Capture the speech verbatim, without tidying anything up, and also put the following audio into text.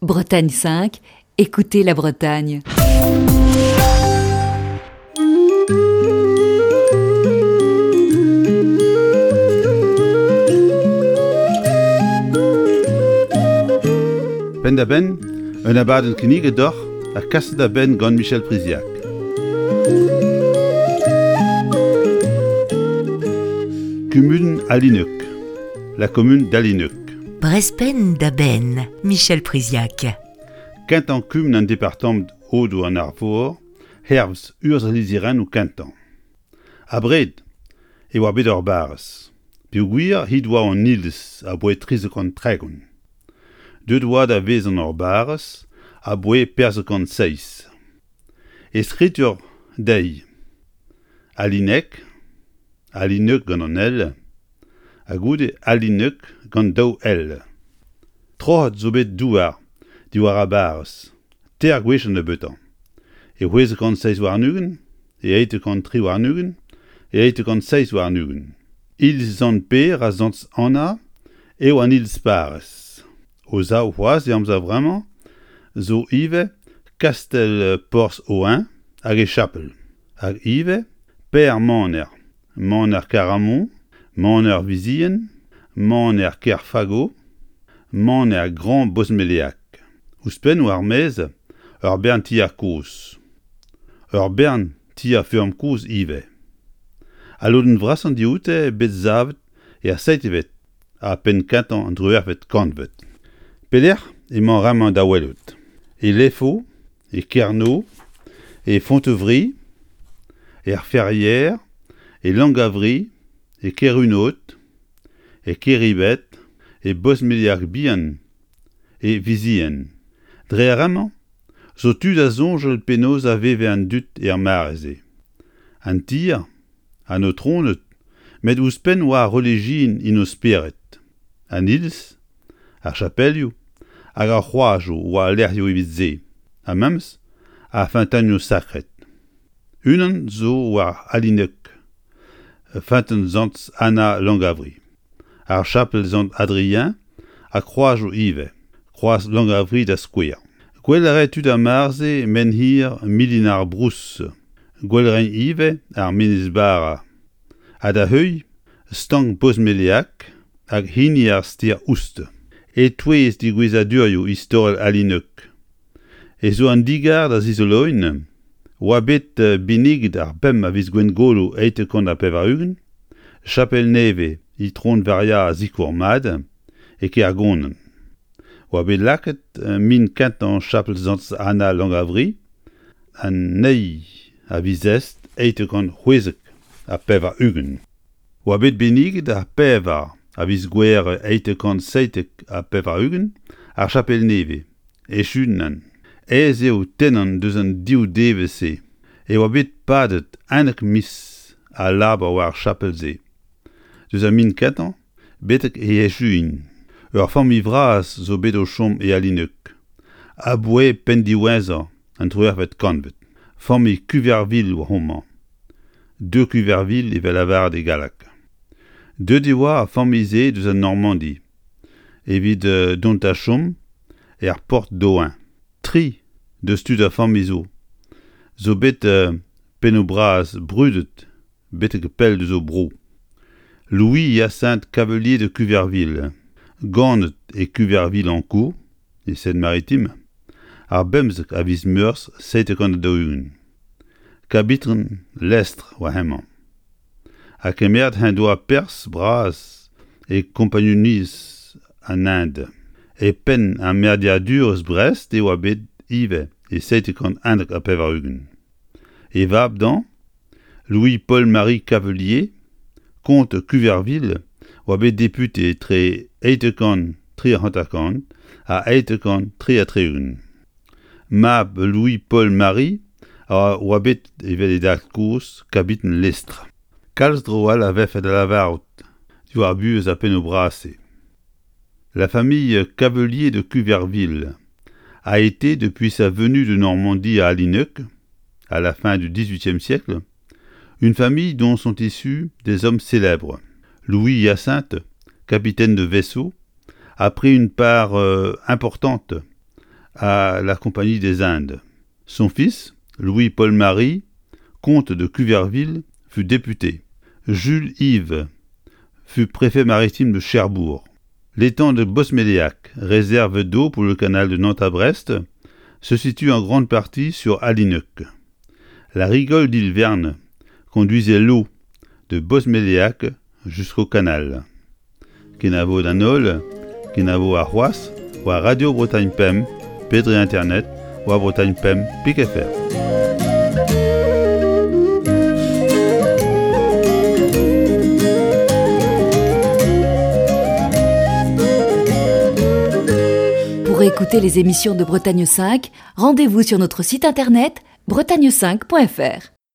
Bretagne cinq, écoutez la Bretagne. Penn-da-benn, un abadenn kinniget deoc'h ha kaset da benn gant Michel Priziac. Kumun Alinec, la commune d'Alinec. Brezh Penn-da-Benn, Michel Priziac. Kentañ kumun an departamant Aodoù an Arvor, hervez urzh al lizherennoù kentañ. Abred e oa bet ur barrez, peogwir he doa an iliz aboae trizek kant tregont. Deuet oa da vezañ ur barrez aboae pevarzek kant seizh. E skritur dezhi Alinec, Alinec gant an L, ha goude Alinec gant daou L. Troc'het zo bet douar diwar ar barrez, teir gwech an nebeutañ. E c'hwezek kant seizh warn-ugent, e eizh kant tri warn-ugent, e eizh kant seizh warn-ugent. Iliz Sant-Pêr ha Sant-Anna eo an iliz parrez. O zaou c'hoazh e amzer vremañ zo ivez kastell Porzh-Oen hag e chapel. Hag ivez Per Maner, Maner Karamon, Maner Vizien, Maner Kerfago, Maner Grand Bosmeleag. Ouzhpenn war maez ur bern tier kozh. Ur bern tier feurm kozh ivez. Al lodenn vrasañ dioute bet savet er seitevet ha penn-kentañ an triwec'hvet kantved. Pelec'h emañ ar da welout? E Lefo, e Kerno, e Fontevri, er Ferrières, e Langavri, e Kerunot, e Keribet, e Bosmeliag bihan, e Vizien. Dre ar amañ zo tu da soñjal penaos a veve an dud er mare-se. An tier, an aotroned, met ouzhpenn oa ar relijion en o spered. An iliz, ar chapelioù hag ar c'hroazoù oa lec'hioù evit se, ha memes ar feunteunioù sakret. Unan zo war Alinec, feunteun Sant Anna Langavri. Ar chapel Sant Adrien ha kroazoù ivez, kroaz Langavri da skouer. Gwell a rae tud ar mare-se menhir Milin ar Brous, gwell a raent ivez ar Menez Bara. Ha da heuilh stank Bosmeleag hag hini ar stêr Oust. E-touez degouezhadurioù istorel Alinec. E zo an digar da zizoloiñ oa bet benniget ar pemp a viz Gwengolo eizh kant ha pevar-ugent, chapel nevez Itron Varia Sikour Mat e Kergonan. Oa bet lakaet min kentañ chapel Sant Anna Langavri an eil a viz Est eizh kant c'hwezek ha pevar-ugent. Oa bet benniget ar pevar a viz Gouhere eizh kant seitek ha pevar-ugent ar chapel nevez, echunan. Aes eo tennañ deus an div devezh-se e oa bet padet unnek miz al labour war ar chapel-se. Deus ar min kentañ betek e echuiñ. Ur familh vras zo bet o chom e Alinec. Aboae penn diwezhañ an triwec'hvet kantved. Familh Cuverville oa homañ. De Cuverville evel lavaret e galleg. Deuet e oa ar familh-se deus an Normandi evit dont da chom er Porte d'Oen. Tri deus tud ar familh zo. Zo bet pennoù bras brudet betek pell deus o bro. Louis Hyacinthe Cavelier de Cuverville, ganet e Cuverville-en-Caux, e Seine-Maritime, ar bemzek a viz Meurzh seizh kant daou-ugent. Kabiten lestr oa hemañ. Ha kemeret en doa perzh bras e kompagnuniezh an Inde. E penn ar merdeadurezh Brest e oa bet ivez e seizh kant unnek ha pevar-ugent. E vab dañ, Louis-Paul-Marie Cavelier, comte Cuverville, oa bet député etre eizh kant tri ha hanter-kant ha eizh kant tri ha tri-ugent. Mab Louis-Paul-Marie a oa bet evel e dad-kozh kabiten lestr. Kalz dro all a vefe da lavarout diwar buhez ar pennoù bras-se. La famille Cavelier de Cuverville a été, depuis sa venue de Normandie à Alinec, à la fin du dix-huitième siècle, une famille dont sont issus des hommes célèbres. Louis Hyacinthe, capitaine de vaisseau, a pris une part euh, importante à la Compagnie des Indes. Son fils, Louis-Paul-Marie, comte de Cuverville, fut député. Jules Yves fut préfet maritime de Cherbourg. L'étang de Bosméléac, réserve d'eau pour le canal de Nantes à Brest, se situe en grande partie sur Alineuc. La rigole d'Île Verne conduisait l'eau de Bosméléac jusqu'au canal. Kenavo d'an holl, kenavo ar c'hoazh, war Radio Bretagne Pemp, pe dre internet, war Bretagne Pemp pik F R. Pour écouter les émissions de Bretagne cinq, rendez-vous sur notre site internet bretagne cinq point F R.